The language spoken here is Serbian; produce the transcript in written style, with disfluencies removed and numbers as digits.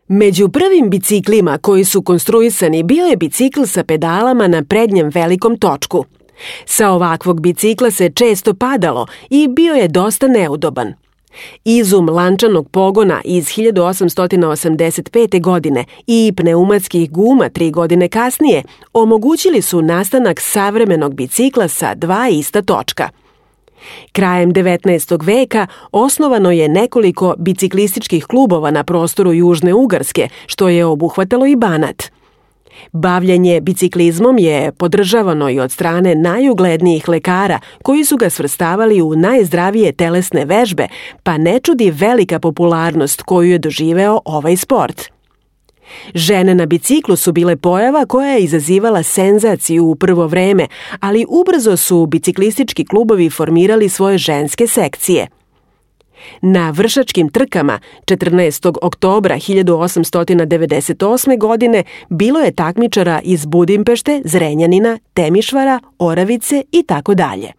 Među prvim biciklima koji su konstruisani bio je bicikl sa pedalama na prednjem velikom točku. Sa ovakvog bicikla se često padalo i bio je dosta neudoban. Izum lančanog pogona iz 1885. godine i pneumatskih guma 3 godine kasnije omogućili su nastanak savremenog bicikla sa 2 ista točka. Krajem 19. veka osnovano je nekoliko biciklističkih klubova na prostoru Južne Ugarske, što je obuhvatalo i Banat. Bavljenje biciklizmom je podržavano i od strane najuglednijih lekara koji su ga svrstavali u najzdravije telesne vežbe, pa ne čudi velika popularnost koju je doživeo ovaj sport. Žene na biciklu su bile pojava koja je izazivala senzaciju u prvo vreme, ali ubrzo su biciklistički klubovi formirali svoje ženske sekcije. Na vršačkim trkama 14. oktobra 1898. godine bilo je takmičara iz Budimpešte, Zrenjanina, Temišvara, Oravice i tako dalje.